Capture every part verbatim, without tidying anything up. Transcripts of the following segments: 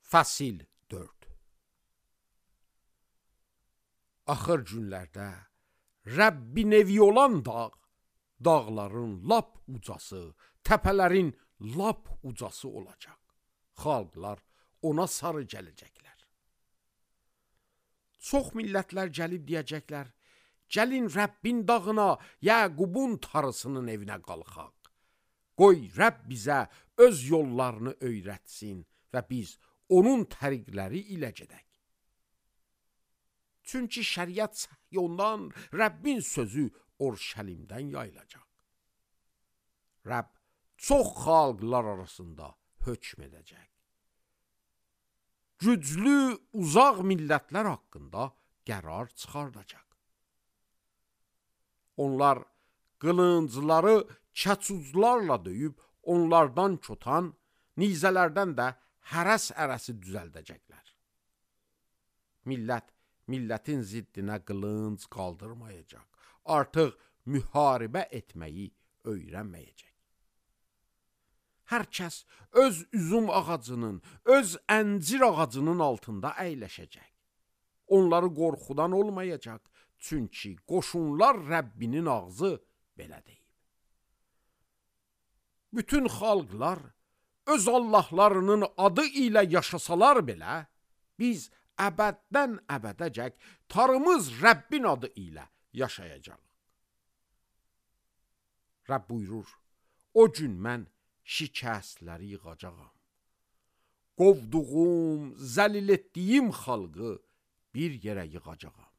Fəsil dörd. Axır günlərdə Rəbbin evi olan dağ, dağların lap ucası, təpələrin lap ucası olacaq. Xalqlar ona sarı gələcəklər. Çox millətlər gəlib deyəcəklər, gəlin Rəbbin dağına, Yəqubun tarısının evinə qalxaq. Qoy Rəbb bizə öz yollarını öyrətsin və biz onun təriqləri ilə gedək. Çünki şəriət Səhyondan, Rəbbin sözü Orşəlimdən yayılacaq. Rəbb çox xalqlar arasında hökm edəcək. Güclü, uzaq millətlər haqqında qərar çıxardacaq. Onlar qılıncları kəçuzlarla döyüb, onlardan çotan, nizələrdən də hərəs ərəsi düzəldəcəklər. Millət, millətin ziddinə qılınc qaldırmayacaq. Artıq müharibə etməyi öyrənməyəcək. Hər kəs öz üzüm ağacının, öz əncir ağacının altında əyləşəcək. Onları qorxudan olmayacaq, çünki qoşunlar Rəbbinin ağzı belə deyib. Bütün xalqlar öz Allahlarının adı ilə yaşasalar belə, biz əbəddən əbədəcək tarımız Rəbbin adı ilə yaşayacaq. Rəbb buyurur, o gün mən şikəstləri yığacağam. Qovduğum, zəlil etdiyim xalqı bir yerə yığacağam.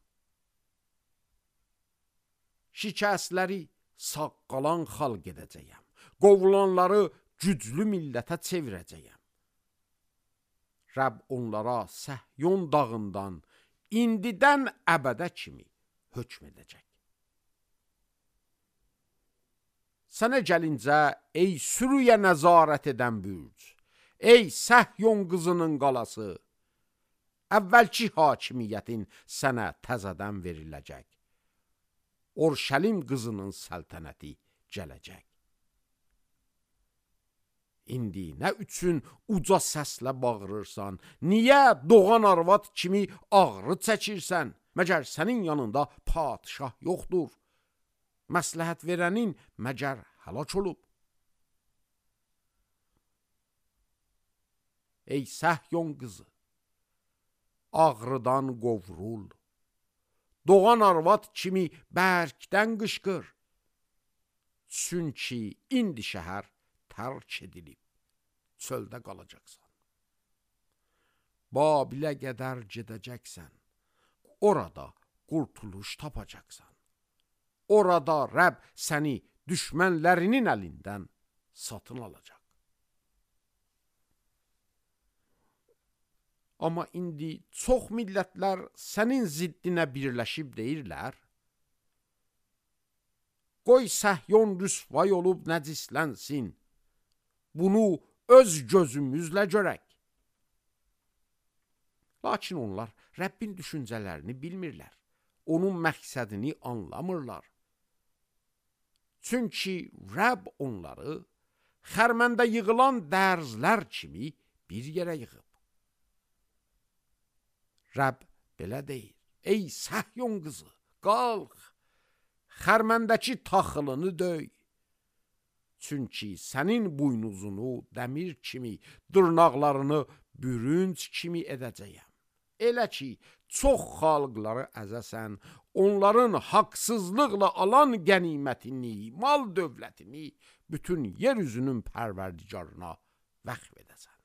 Şikəstləri saqqalan xalq edəcəyəm. Qovulanları güclü millətə çevirəcəyəm. Rəbb onlara Səhyon dağından indidən əbədə kimi hökm edəcək. Sənə gəlincə, ey sürüyə nəzarət edən bürc, ey Səhyon qızının qalası, əvvəlki hakimiyyətin sənə təzədən veriləcək. Orşəlim qızının səltənəti gələcək. İndi nə üçün uca səslə bağırırsan? Niyə doğan arvad kimi ağrı çəkirsən? Məgər sənin yanında padişah yoxdur? Məsləhət verənin məgər həlak olub? Ey Səhyon qızı, ağrıdan qovrul. Doğan arvad kimi bərkdən qışqır. Çünki indi şəhər tərk edilib, çöldə qalacaqsan. Babilə qədər gedəcəksən, orada qurtuluş tapacaqsan. Orada Rəbb səni düşmənlərinin əlindən satın alacaq. Amma indi çox millətlər sənin ziddinə birləşib deyirlər, qoy Səhyon rüsvay olub nəcislənsin, bunu öz gözümüzlə görək. Lakin onlar Rəbbin düşüncələrini bilmirlər, onun məqsədini anlamırlar. Çünki Rəbb onları xərməndə yığılan dərzlər kimi bir yerə yığıb. Rəbb belə deyir, ey Səhyon qızı, qalx, xərməndəki taxılını döy. Çünki sənin buynuzunu dəmir kimi, dırnaqlarını bürünc kimi edəcəyəm. Elə ki, çox xalqları əzəsən, onların haqsızlıqla alan qənimətini, mal dövlətini bütün yer üzünün pərverdigarına vəqf edəsən.